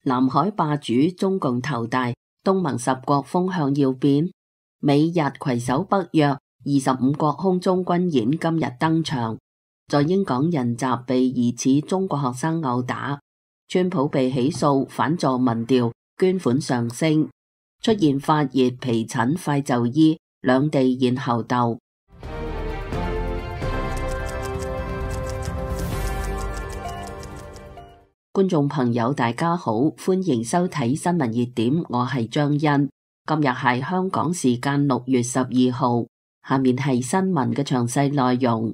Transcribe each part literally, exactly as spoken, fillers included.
南海霸主中共頭大，東盟十國風向要變。美日攜手北約，二十五國空中軍演今日登場。在英港人集被疑似中國學生毆打，川普被起訴反助民調，捐款上升，出現發熱、皮疹快就醫，兩地現猴鬥。觀眾朋友大家好，歡迎收睇新聞熱點，我係張欣。今日係香港時間六月十二號，下面係新聞嘅詳細內容。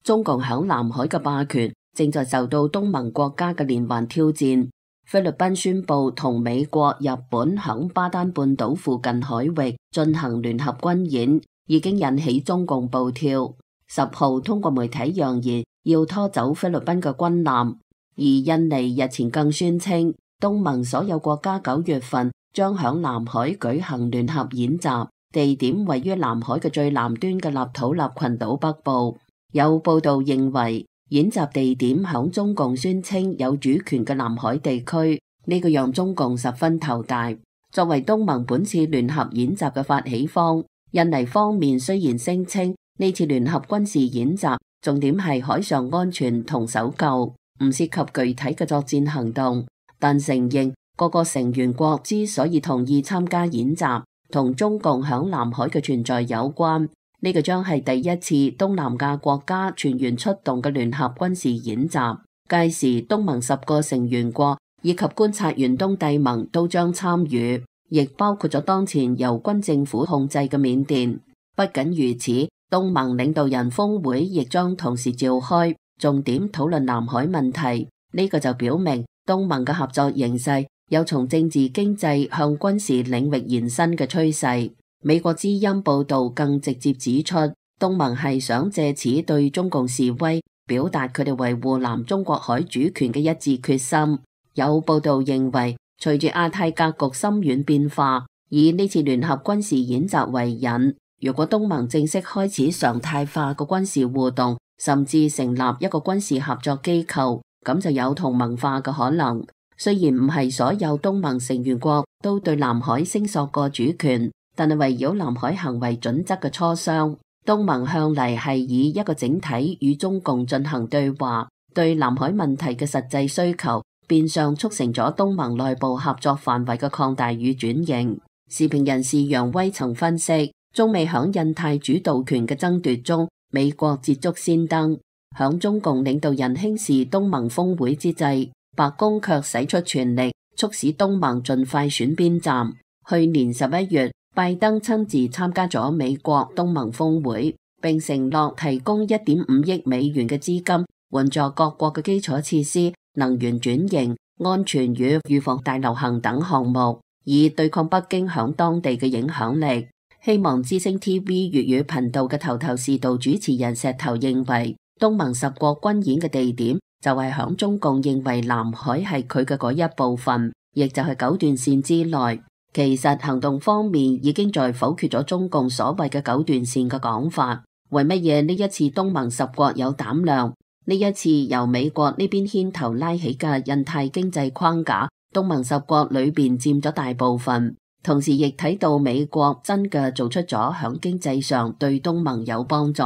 中共響南海嘅霸權正在受到東盟國家嘅連環挑戰。菲律賓宣布同美國、日本響巴丹半島附近海域進行聯合軍演，已經引起中共暴跳。十號通過媒體揚言要拖走菲律賓嘅軍艦，而印尼日前更宣稱東盟所有國家九月份將響南海舉行聯合演習，地點位於南海嘅最南端嘅立陶宛群島北部。有報道認為演習地點響中共宣稱有主權嘅南海地區，呢個讓中共十分頭大。作為東盟本次聯合演習嘅發起方，印尼方面雖然聲稱呢次聯合軍事演習重點係海上安全同搜救，唔涉及具體嘅作戰行動，但承認各個成員國之所以同意參加演習，同中共響南海嘅存在有關。呢個將係第一次東南亞國家全員出動嘅聯合軍事演習，屆時東盟十個成員國以及觀察員東帝汶都將參與，亦包括咗當前由軍政府控制嘅緬甸。不僅如此，東盟領導人峰會亦將同時召開，重點討論南海問題。呢個就表明東盟嘅合作形勢有從政治經濟向軍事領域延伸嘅趨勢。美國之音報道更直接指出，東盟係想借此對中共示威，表達佢哋維護南中國海主權嘅一致決心。有報道認為，隨住亞太格局深遠變化，以呢次聯合軍事演習為引，如果東盟正式開始常態化嘅軍事互動，甚至成立一個軍事合作機構，咁就有同盟化嘅可能。雖然唔係所有東盟成員國都對南海聲索過主權，但係圍繞南海行為準則嘅磋商，東盟向嚟係以一個整體與中共進行對話，對南海問題嘅實際需求，變相促成咗東盟內部合作範圍嘅擴大與轉型。時評人士楊威曾分析，中美響印太主導權嘅爭奪中，美國捷足先登。響中共領導人輕視東盟峰會之際，白宮卻使出全力促使東盟盡快選邊站。去年十一月，拜登親自參加咗美國東盟峰會，並承諾提供一點五億美元嘅資金，援助各國嘅基礎設施、能源轉型、安全與預防大流行等項目，以對抗北京響當地嘅影響力。希望之聲 T V 粵語頻道嘅頭頭是道主持人石頭認為，東盟十國軍演嘅地點就係響中共認為南海係佢嘅嗰一部分，亦就係九段線之內。其實行動方面已經在否決咗中共所謂嘅九段線嘅講法。為乜嘢呢一次東盟十國有膽量？呢一次由美國呢邊牽頭拉起嘅印太經濟框架，東盟十國裏邊佔咗大部分，同時亦睇到美國真嘅做出咗響經濟上對東盟有幫助，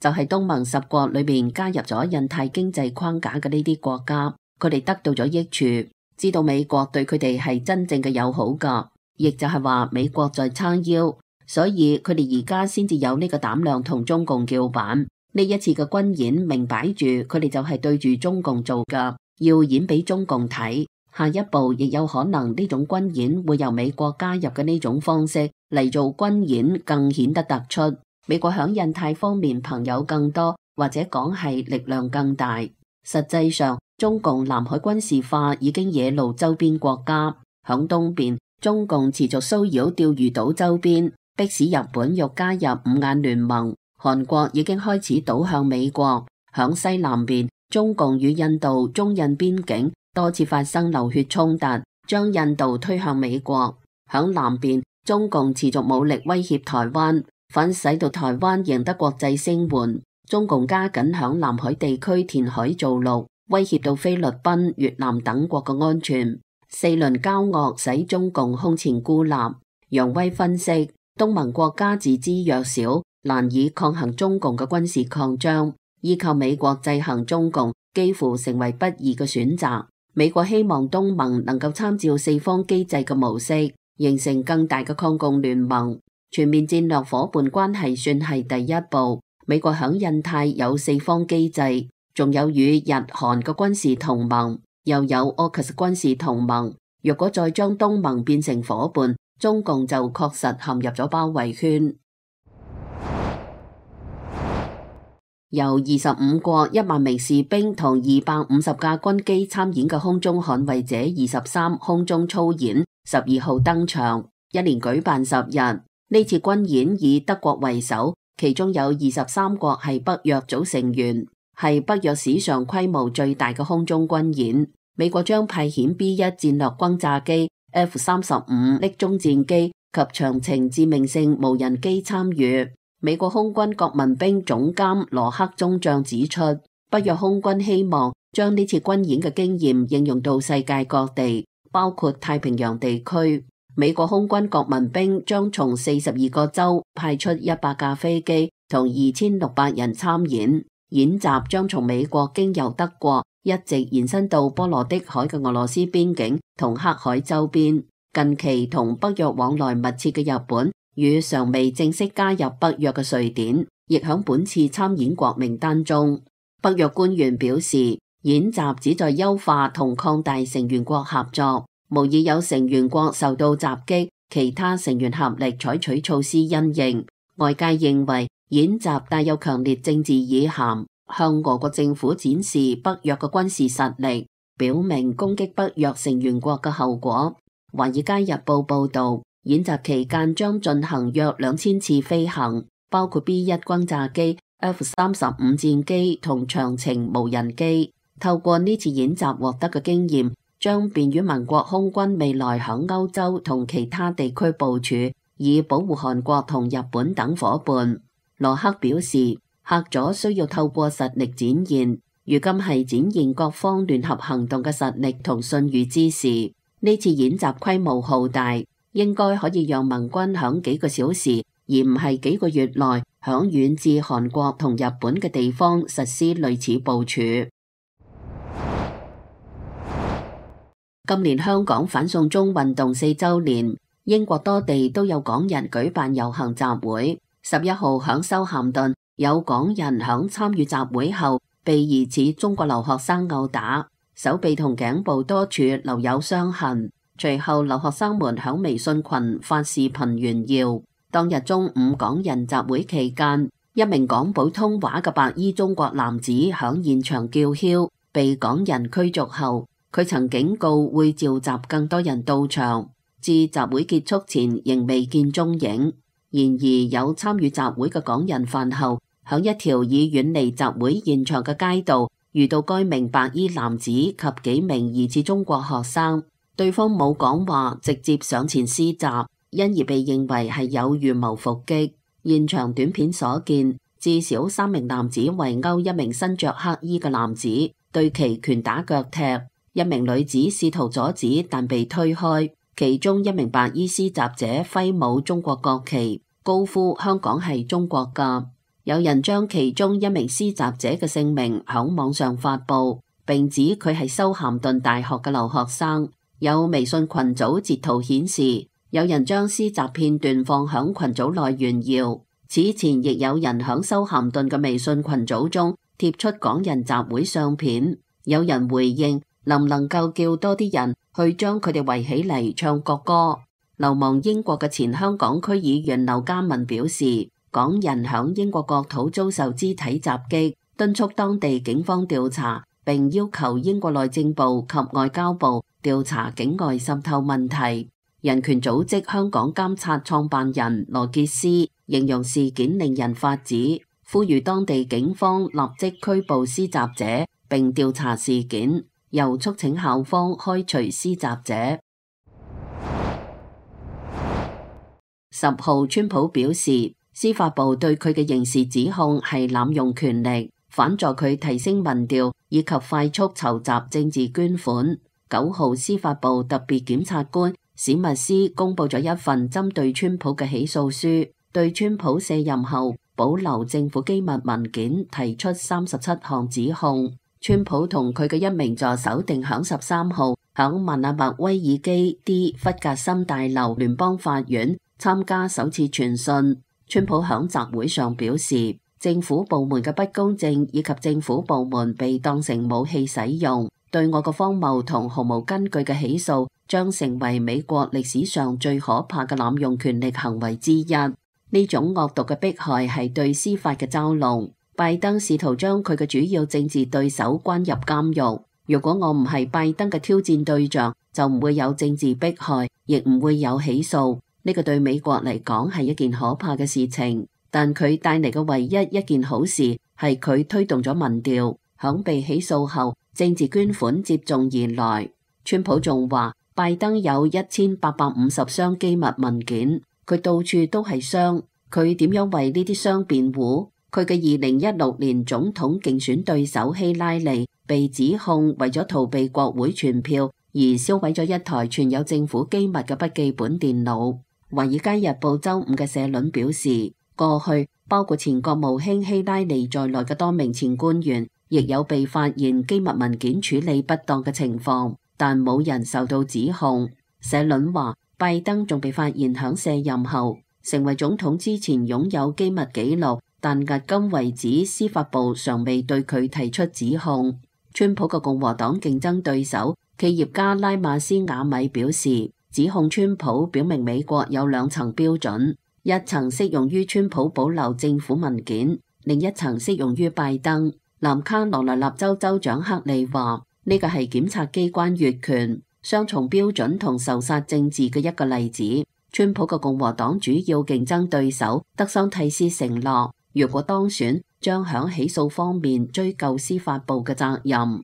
就係東盟十國裏邊加入咗印太經濟框架嘅呢啲國家，佢哋得到咗益處，知道美國對佢哋係真正嘅友好噶。亦就係話美國在撐腰，所以佢哋而家先至有呢個膽量同中共叫板。呢一次嘅軍演明擺住，佢哋就係對住中共做噶，要演俾中共睇。下一步亦有可能呢種軍演會由美國加入嘅呢種方式嚟做軍演，更顯得突出。美國響印太方面朋友更多，或者講係力量更大。實際上，中共南海軍事化已經惹怒周邊國家。響東邊，中共持續騷擾釣魚島周邊，迫使日本欲加入五眼聯盟。韓國已經開始倒向美國。響西南邊，中共與印度中印邊境多次發生流血衝突，將印度推向美國。響南邊，中共持續武力威脅台灣，反使到台灣贏得國際聲援。中共加緊響南海地區填海造陸，威脅到菲律賓、越南等國嘅安全。四輪交惡使中共空前孤立。楊威分析，東盟國家自知弱小，難以抗衡中共嘅軍事擴張，依靠美國制衡中共幾乎成為不二嘅選擇。美國希望東盟能夠參照四方機制嘅模式，形成更大嘅抗共聯盟。全面戰略夥伴關係算係第一步。美國響印太有四方機制，仲有與日韓嘅軍事同盟，又有 A U K U S 軍事同盟。若果再將東盟變成夥伴，中共就確實陷入咗包圍圈。由二十五國一萬名士兵同二百五十架軍機參演嘅空中捍衛者二十三空中操演十二號登場，一連舉辦十日。呢次軍演以德國為首，其中有二十三國係北約組成員，係北約史上規模最大嘅空中軍演。美國將派遣 B 一戰略轟炸機、F 三十五匿蹤戰機及長程致命性無人機參與。美國空軍國民兵總監羅克中將指出，北約空軍希望將呢次軍演嘅經驗應用到世界各地，包括太平洋地區。美國空軍國民兵將從四十二個州派出一百架飛機同二千六百人參演。演習將從美國經由德國一直延伸到波羅的海嘅俄羅斯邊境同黑海周邊。近期同北約往來密切嘅日本與尚未正式加入北約嘅瑞典，亦響本次參演國名單中。北約官員表示，演習旨在優化同擴大成員國合作，無疑有成員國受到襲擊，其他成員合力採取措施因應。外界認為演習帶有強烈政治意涵，向俄國政府展示北約嘅軍事實力，表明攻擊北約成員國嘅後果。《華爾街日報》報道，演習期間將進行約兩千次飛行，包括 B 一轟炸機、F 三十五戰機同長程無人機。透過呢次演習獲得嘅經驗，將便於盟國空軍未來響歐洲同其他地區部署，以保護韓國同日本等夥伴。羅克表示，客咗需要透過實力展現，如今係展現各方聯合行動嘅實力同信譽之時。呢次演習規模浩大，應該可以讓盟軍響幾個小時，而唔係幾個月內，響遠至韓國同日本嘅地方實施類似部署。今年香港反送中運動四週年，英國多地都有港人舉辦遊行集會。十一號響修咸頓，有港人響參與集會後，被疑似中國留學生毆打。手臂同頸部多處留有傷痕，隨後留學生們響微信群發視頻炫耀。當日中午港人集會期間，一名講普通話嘅白衣中國男子響現場叫囂，被港人驅逐後，佢曾警告會召集更多人到場，至集會結束前仍未見蹤影。然而有參與集會嘅港人飯後，響一條已遠離集會現場嘅街道，遇到該名白衣男子及幾名疑似中國學生，對方冇講話，直接上前施襲，因而被認為係有預謀伏擊。現場短片所見，至少三名男子圍毆一名身着黑衣嘅男子，對其拳打腳踢。一名女子試圖阻止，但被推開。其中一名白衣施襲者揮舞中國國旗，高呼香港係中國㗎。有人將其中一名施襲者嘅姓名響網上發布，並指佢係修咸頓大學嘅留學生。有微信群組截圖顯示，有人將施襲片段放響群組內炫耀。此前亦有人響修咸頓嘅微信群組中貼出港人集會相片。有人回應，能唔能夠叫多啲人去將佢哋圍起嚟唱國歌？流亡英國嘅前香港區議員劉家文表示，港人響英國國土遭受肢體襲擊，敦促當地警方調查，並要求英國內政部及外交部調查境外滲透問題。人權組織香港監察創辦人羅傑斯形容事件令人髮指，呼籲當地警方立即拘捕施襲者並調查事件，又促請校方開除施襲者。十號，川普表示，司法部對佢嘅刑事指控係濫用權力，反助佢提升民調以及快速籌集政治捐款。九號司法部特別檢察官史密斯公布咗一份針對川普嘅起訴書，對川普卸任後保留政府機密文件提出三十七項指控。川普同佢嘅一名助手定響十三號響曼納麥威爾基 D 弗格森大樓聯邦法院參加首次傳訊。川普響集會上表示，政府部門嘅不公正以及政府部門被當成武器使用，對我嘅荒謬同毫無根據嘅起訴將成為美國歷史上最可怕嘅濫用權力行為之一。呢種惡毒嘅迫害係對司法嘅嘲弄。拜登試圖將佢嘅主要政治對手關入監獄。如果我唔係拜登嘅挑戰對象，就唔會有政治迫害，亦唔會有起訴。呢個對美國嚟講係一件可怕嘅事情。但佢帶嚟嘅唯一一件好事係佢推動咗民調。響被起訴後，政治捐款接踵而來。川普仲話，拜登有一千八百五十箱機密文件，佢到處都係箱。佢點樣為呢啲箱辯護？佢嘅二零一六年總統競選對手希拉里被指控為咗逃避國會傳票而銷毀咗一台存有政府機密嘅筆記本電腦。華爾街日報周五嘅社論表示，過去包括前國務卿希拉里在內嘅多名前官員亦有被發現機密文件處理不當嘅情況，但冇人受到指控。社論話，拜登仲被發現響卸任後成為總統之前擁有機密記錄，但迄今為止司法部尚未對佢提出指控。川普嘅共和黨競爭對手企業家拉馬斯瓦米表示，指控川普表明美國有兩層標準，一層適用於川普保留政府文件，另一層適用於拜登。南卡羅來納州州長克利話，呢個係檢察機關越權、雙重標準同仇殺政治嘅一個例子。川普嘅共和黨主要競爭對手德桑蒂斯承諾，如果當選，將響起訴方面追究司法部嘅責任。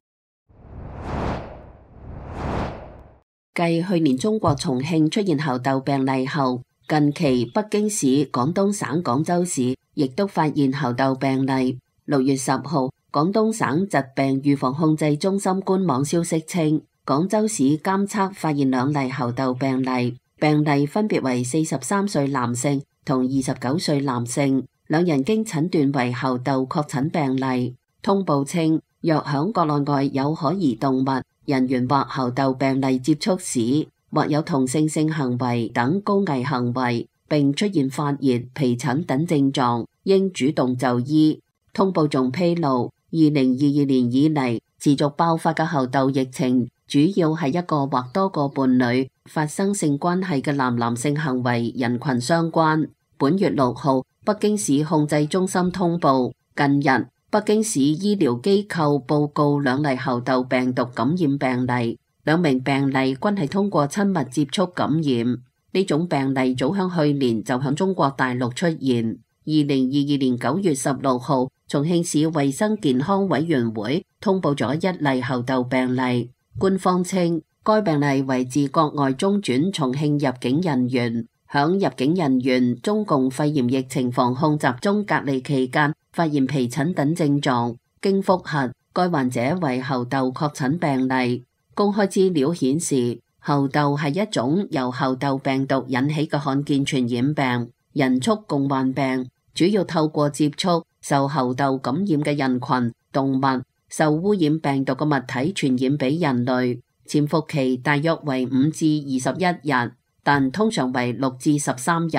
繼去年中國重慶出現猴痘病例後，近期北京市、廣東省、廣州市亦都發現猴痘病例。六月十號，廣東省疾病預防控制中心官網消息稱，廣州市監測發現兩例猴痘病例。病例分別為四十三歲男性同二十九歲男性，兩人經診斷為猴痘確診病例。通報稱，若響國內外有可疑動物、人員或猴痘病例接觸史，或有同性性行為等高危行為，並出現發熱、皮疹等症狀，應主動就醫。通報仲披露，二零二二年以嚟持續爆發嘅猴痘疫情，主要係一個或多個伴侶發生性關係嘅男男性行為人群相關。本月六號，北京市控制中心通報，近日北京市醫療機構報告兩例猴痘病毒感染病例，兩名病例均係通過親密接觸感染。呢種病例早響去年就響中國大陸出現。二零二二年九月十六號，重慶市衛生健康委員會通報咗一例猴痘病例。官方稱，該病例為自國外中轉重慶入境人員，響入境人員中共肺炎疫情防控集中隔離期間發現皮疹等症狀，經複核，該患者為猴痘確診病例。公開資料顯示，猴痘係一種由猴痘病毒引起嘅罕見傳染病，人畜共患病，主要透過接觸受猴痘感染嘅人群、動物、受污染病毒嘅物體傳染俾人類，潛伏期大約為五至二十一日，但通常為六至十三日。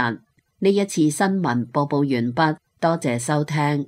呢一次新聞播報完畢，多謝收聽。